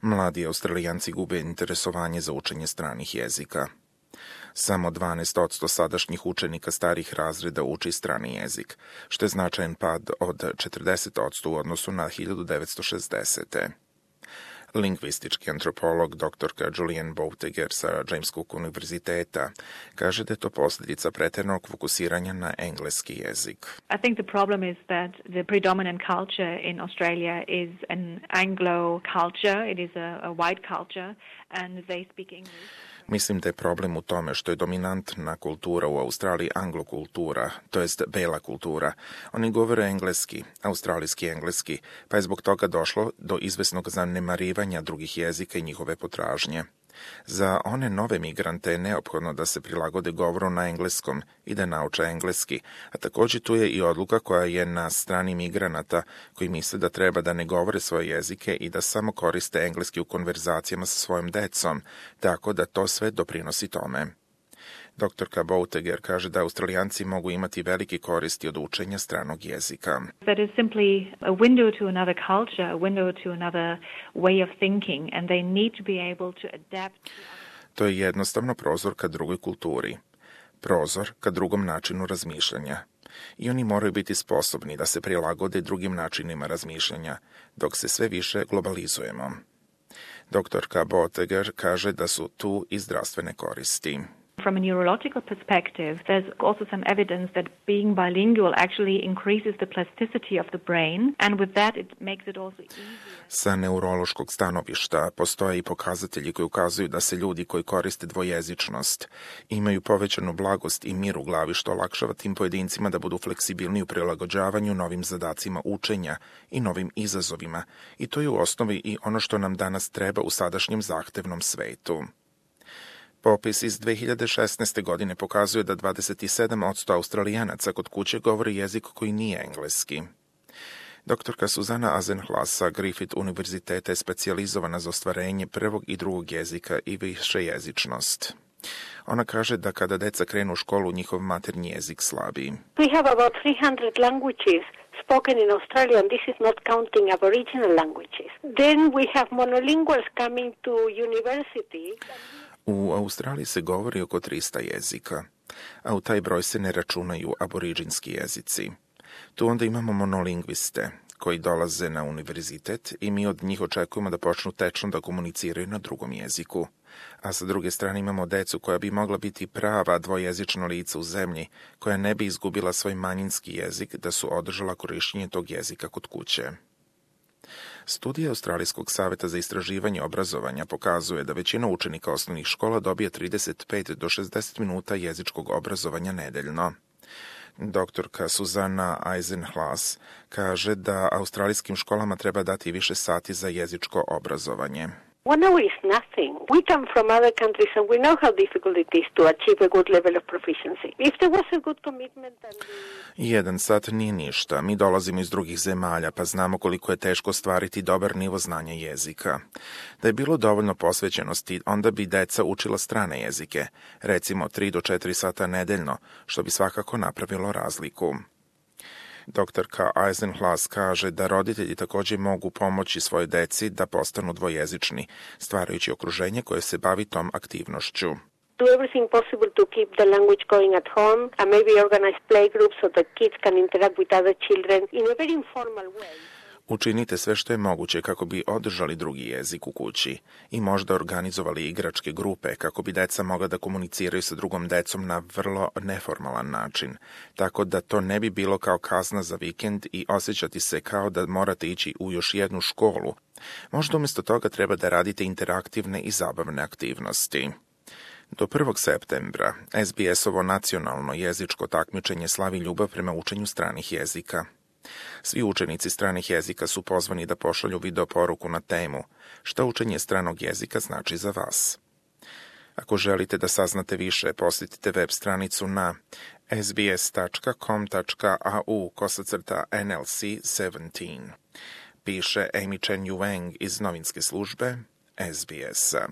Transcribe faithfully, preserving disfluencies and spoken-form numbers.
Mladi Australijanci gube interesovanje za učenje stranih jezika. Samo dvanaest posto sadašnjih učenika starih razreda uči strani jezik, što je značajan pad od četrdeset posto u odnosu na hiljadu devetsto šezdesete. Lingvistički antropolog doktorka Julian Boutiger sa James Cook univerziteta kaže da je to posljedica pretjeranog fokusiranja na engleski jezik. I think the problem is that the predominant culture in Australia is an Anglo culture. It is a, a white culture and they speak English. Mislim da je problem u tome što je dominantna kultura u Australiji anglokultura, to jest bela kultura. Oni govore engleski, australijski engleski, pa je zbog toga došlo do izvesnog zanemarivanja drugih jezika i njihove potražnje. Za one nove migrante je neophodno da se prilagode govoru na engleskom i da nauče engleski, a također tu je i odluka koja je na strani migranata koji misle da treba da ne govore svoje jezike i da samo koriste engleski u konverzacijama sa svojom decom, tako da to sve doprinosi tome. Doktorka Boutiger kaže da Australijanci mogu imati velike koristi od učenja stranog jezika. That is simply a window to another culture, a window to another way of thinking, and they need to be able to adapt. To je jednostavno prozor ka drugoj kulturi, prozor ka drugom načinu razmišljanja. I oni moraju biti sposobni da se prilagode drugim načinima razmišljanja, dok se sve više globalizujemo. Doktorka Boutiger kaže da su tu i zdravstvene koristi. From a neurological perspective, there's also some evidence that being bilingual actually increases the plasticity of the brain, and with that it makes it also easier. Sa neurološkog stanovišta postoje i pokazatelji koji ukazuju da se ljudi koji koriste dvojezičnost imaju povećanu blagost i mir u glavi, što olakšava tim pojedincima da budu fleksibilni u prilagođavanju novim zadacima učenja i novim izazovima. I to je u osnovi i ono što nam danas treba u sadašnjem zahtevnom svetu. Popis iz dve hiljade šesnaeste. godine pokazuje da dvadeset sedam posto Australijanaca kod kuće govori jezik koji nije engleski. Doktorka Suzana Azenhlas sa Griffith univerziteta je specijalizovana za ostvarenje prvog i drugog jezika i višejezičnost. Ona kaže da kada deca krenu u školu, njihov maternji jezik slabi. We have about three hundred languages spoken in Australia, and this is not counting Aboriginal languages. Then we have monolinguals coming to university. U Australiji se govori oko trista jezika, a u taj broj se ne računaju aboriđinski jezici. Tu onda imamo monolingviste koji dolaze na univerzitet i mi od njih očekujemo da počnu tečno da komuniciraju na drugom jeziku. A sa druge strane imamo decu koja bi mogla biti prava dvojezična lica u zemlji, koja ne bi izgubila svoj manjinski jezik da su održala korištenje tog jezika kod kuće. Studija Australijskog saveta za istraživanje obrazovanja pokazuje da većina učenika osnovnih škola dobija trideset pet do šezdeset minuta jezičkog obrazovanja nedeljno. Doktorka Suzana Azenhlas kaže da australijskim školama treba dati više sati za jezičko obrazovanje. One hour is nothing. We come from other countries and we know how difficult it is to achieve a good level of proficiency. If there was a good commitment and we... Jedan sat nije ništa. Mi dolazimo iz drugih zemalja, pa znamo koliko je teško stvariti dobar nivo znanja jezika. Da je bilo dovoljno posvećenosti, onda bi deca učila strane jezike, recimo tri do četiri sata nedeljno, što bi svakako napravilo razliku. Doktorka Azenhlas kaže da roditelji također mogu pomoći svojoj deci da postanu dvojezični, stvarajući okruženje koje se bavi tom aktivnošću. Do everything possible to keep the language going at home and maybe organize play groups so that kids can interact with other children in a very informal way. Učinite sve što je moguće kako bi održali drugi jezik u kući i možda organizovali igračke grupe kako bi deca mogla da komuniciraju sa drugom decom na vrlo neformalan način, tako da to ne bi bilo kao kazna za vikend i osjećati se kao da morate ići u još jednu školu. Možda umjesto toga treba da radite interaktivne i zabavne aktivnosti. Do prvog septembra S B S-ovo nacionalno jezičko takmičenje slavi ljubav prema učenju stranih jezika. Svi učenici stranih jezika su pozvani da pošalju video poruku na temu šta učenje stranog jezika znači za vas. Ako želite da saznate više, posjetite web stranicu na sbs.com.au kosacrta N L C sedamnaest. Piše Amy Chen Yuang iz novinske službe S B S-a.